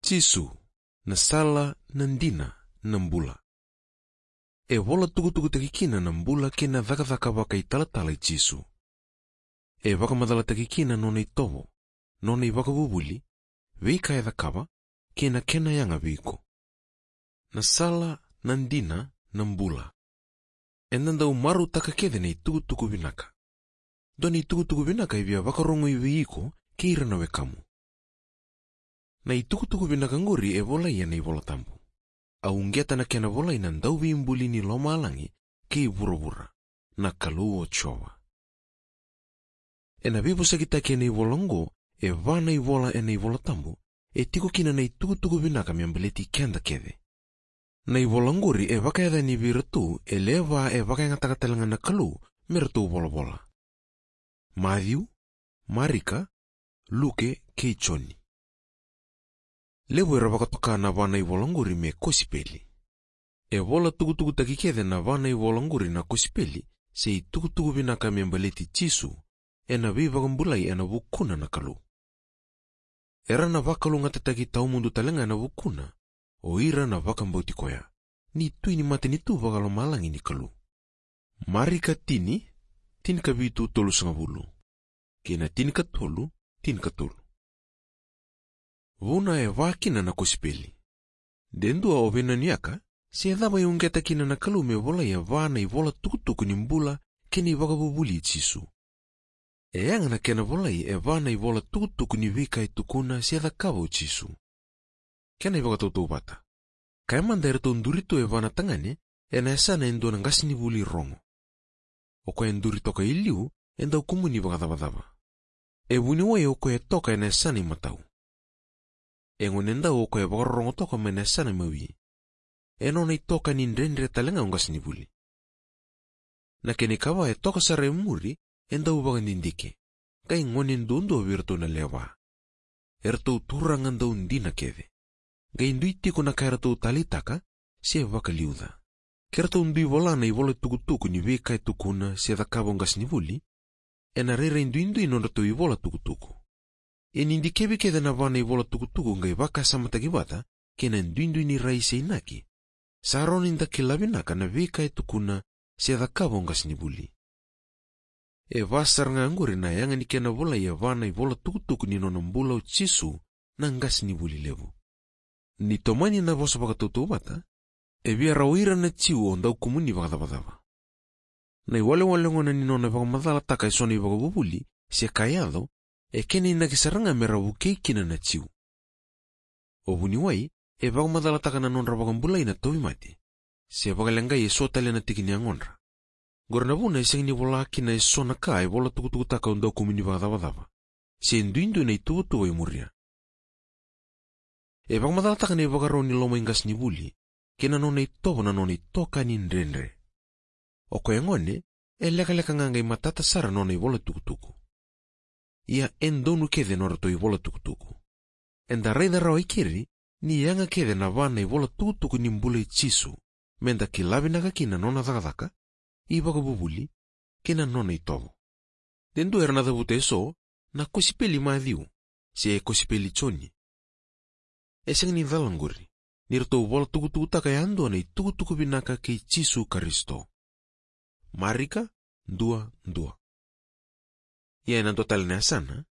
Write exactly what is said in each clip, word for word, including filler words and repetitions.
Jisu, na sala, na dina, na bula. E vola tukutukutaki kina na bula kei na cakacaka vakaitalatala i Jisu. E vakamacalataki kina nona itovo, nona ivakavuvuli, veika e cakava, kei na kena yaga vei iko. Na sala, na dina, na bula. Eda dau marautaka kece na itukutuku vinaka. Dua na itukutuku vinaka e via vakarogoi vei iko kei ira na wekamu. Na itukutuku vinaka qori e volai ena iVola Tabu. A uqeta na kena volai na dauveibuli ni lomalagi kei vuravura, na Kalou o Jiova. Ena veivosakitaki ena ivola oqo, e va na ivola ena iVola Tabu, e tiko kina na itukutuku vinaka me baleti keda kece. Na ivola oqori e vakayacani vei iratou e lewe va e vakayagataka tale ga na Kalou me ratou volavola: Maciu, Marika, Luke kei Joni. Levu era vakatoka na va na ivola oqori me kosipeli. E vola tukutukutaki kece na va na ivola oqori na kosipeli, se itukutuku vinaka me baleti Jisu, ena veivakabulai ena vukuna na Kalou. Era na vakalougatataki tawamudu tale ga ena vukuna o ira na vakabauti koya, ni Tui ni matanitu vakalomalagi ni Kalou. Marika tini, tinikavitu tolusagavulu, kei na tinikatolu, tinikatolu. Vuna e va kina na kosipeli. De dua o veinanuyaka se cava e uqeta kina na Kalou me volai e va na ivola tukutuku ni bula kei na ivakavuvuli i Jisu. E yaga na kena volai e va na ivola tukutuku ni veika e tukuna se cakava o Jisu. Kena ivakatautauvata: Kaya mada eratou duri tu e va na tagane ena yasana e dua na qasenivuli rogo. O koya e duri toka i liu e dau kumuni vakacavacava. E vuniwai o koya e toka ena yasana imatau. E gonedau o koya e vakarorogo toka mai na yasana imawi. E nona itokani dredre tale ga o qasenivuli. Na kena ikava e toka sara e muri e dau vakadidike, qai gone duadua vei iratou na lewe va. Eratou turaga dau dina kece. Qai dui tiko na ka eratou taleitaka se vakaliuca. Ke ratou dui vola na ivola tukutuku ni veika e tukuna se cakava o qasenivuli, ena rairai duidui nodratou ivola tukutuku. Ia ni dikevi kece na va na ivola tukutuku qai vakasamataki vata kei na duidui ni rai se inaki, sa rawa ni da kila vinaka na veika e tukuna se cakava o qasenivuli. E va sara ga qori na yaga ni kena volai e va na ivola tukutuku ni nona bula o Jisu na qasenivuli levu. Ni tomani na vosa vakatautauvata, e via rawa o ira na Jiu o dau kumuni vakacavacava. Na iwalewale gona ni nona vakamacalataka e so na ivakavuvuli se ka e yaco, e kena inaki sara ga me ra vukei kina na Jiu. O vuniwai e vakamacalataka na nodra vakabulai na tauvimate, se vakaleqai e so tale na tiki ni yagodra. Qori na vuna e sega ni vola kina e so na ka e vola tukutukutaka o dau kumuni vakacavacava, se duidui na ituvatuva e muria. E vakamacalataka na ivakarau ni loma i qasenivuli kei na nona itovo na nona itokani dredre. O koya e gone, e lekaleka ga qai matata sara nona ivola tukutuku. Ia e donu kece nodratou ivola tukutuku. Eda raica rawa i keri ni yaga kece na va na ivola tukutuku ni bula i Jisu, meda kila vinaka kina na nona cakacaka, ivakavuvuli, kei na nona itovo. De dua era na cavuta e so na kosipeli Maciu se kosipeli Joni. E sega ni cala qori ni ratou vola tukutukutaka yadua na itukutuku vinaka kei Jisu Karisito. Marika dua, dua. Ia ena dua tale na yasana,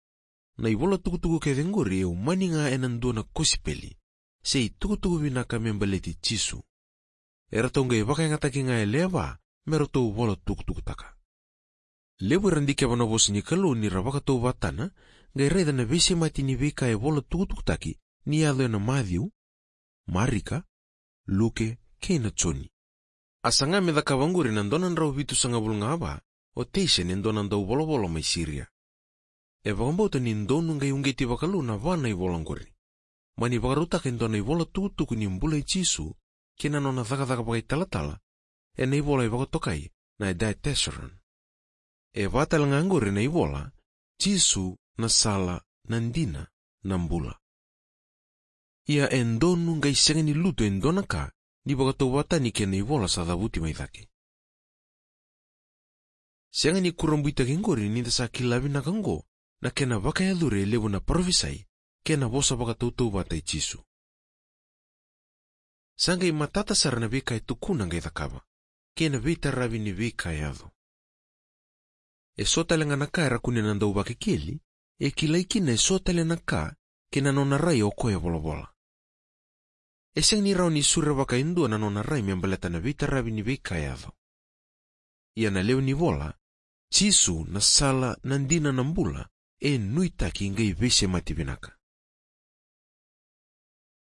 na ivola tukutuku kece qori e umani ga ena dua na kosipeli se itukutuku vinaka me baleti Jisu. Eratou qai vakayagataki ga e lewe va me ratou vola tukutukutaka. Levu era dikeva na vosa ni Kalou ni ra vakatauvatana, qai raica na veisemati ni veika e vola tukutukutaki ni yaco ena Maciu, Marika, Luke kei na Joni. A saga me cakava qori na dua na drau vitusagavulu ga va o Teisen, e dua na dauvolavola mai Siria. E vakabauta ni donu qai uqeti vakalou na va na ivola qori. Mani vakarautaka e dua na ivola tukutuku ni bula i Jisu kei na nona cakacaka vakaitalatala, ena ivola e vakatokai na Diatessaron. E va tale ga qori na ivola: Jisu na sala, na dina, na bula. Ia e donu qai sega ni lutu e dua na ka ni vakatauvatani kei na ivola sa cavuti mai cake. Sega ni kurabuitaki qori ni da sa kila vinaka oqo na kena vakayacori e levu na parofisai kei na vosa vakatautauvata i Jisu. Sa qai matata sara na veika e tukuna qai cakava, kei na veitaravi ni veika e yaco. E so tale ga na ka era kunea na dauvakakeli, e kilai kina e so tale na ka kei na nona rai o koya e volavola. E sega ni rawa ni surevaka e dua na nona rai me baleta na veitaravi ni veika e yaco. Ia na lewe ni vola, Jisu na sala, na dina, na bula, e nuitaki qai veisemati vinaka.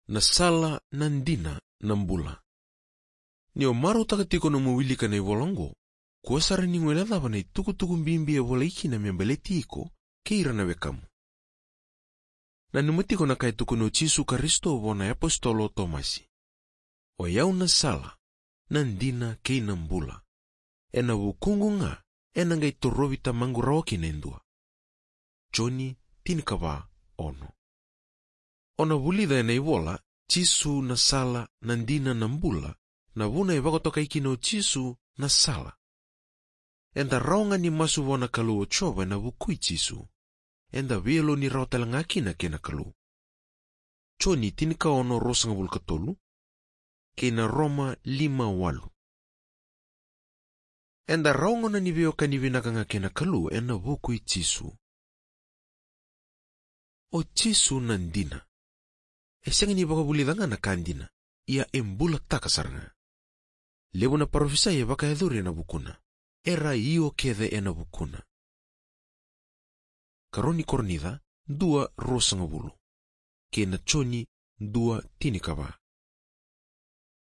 Na sala, na dina, na bula. Ni o marautaka tiko nomu wilika na ivola oqo, kua sara ni guilecava na itukutuku bibi e volai kina me baleti iko kei ira na wekamu. Nanuma tiko na ka e tukuna o Jisu Karisito vua na iapositolo o Tomasi: "O yau na sala, na dina kei na bula. Ena vukuqu ga ena qai torovi Tamaqu rawa kina e dua." Joni tinikava, ono. O na vulica ena ivola, Jisu na sala, na dina, na bula, na vuna e vakatokai kina o Jisu na sala. Eda rawa ga ni masu vua na Kalou o Jiova ena vuku i Jisu. Eda veiyaloni rawa tale ga kina kei na Kalou. Joni tinikaono, ruasagavulu ka tolu, kei na Roma lima, walu. Eda rawa gauna ni veiwekani vinaka ga kei na Kalou ena vuku i Jisu. O Jisu na dina. E sega ni vakavulica ga na ka dina, ia e bulataka sara ga. Levu na parofisai e vakayacori ena vukuna. Era io kece ena vukuna. Karua ni Korinica dua, ruasagavulu, kei na Joni dua, tinikava.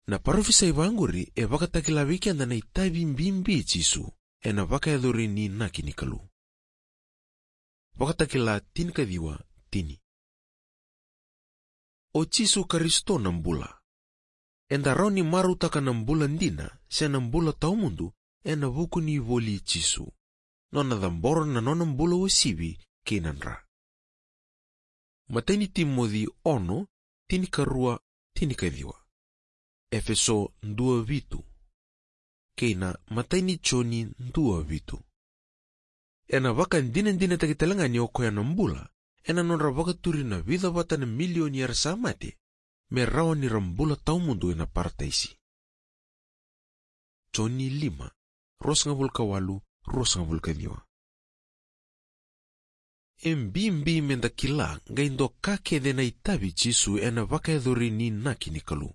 Na parofisai vaqori e vakatakila vei keda na itavi bibi i Jisu ena vakayacori ni inaki ni Kalou. Vakatakila tinikaciwa, tini. O Jisu Karisito na bula. Eda rawa ni marautaka na bula dina se na bula tawamudu ena vuku ni voli i Jisu, nona cabora na nona bula uasivi kei na dra. Matai ni Timoci ono, tinikarua, tinikaciwa. Efeso dua, vitu, kei na Matai ni Joni dua, vitu. Ena vakadinadinataki tale ga ni o koya na bula ena nodra vakaturi na vica vata na milioni era sa mate, me rawa ni ra bula tawamudu ena parataisi. Joni lima, ruasagavulu ka walu, ruasagavulu ka ciwa. E bibi meda kila qai doka kece na itavi i Jisu ena vakayacori ni inaki ni Kalou.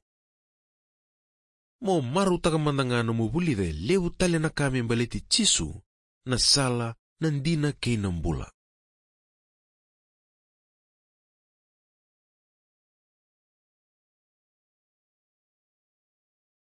Mo marautaka mada ga nomu vulica e levu tale na ka me baleti Jisu, na sala, na dina kei na bula.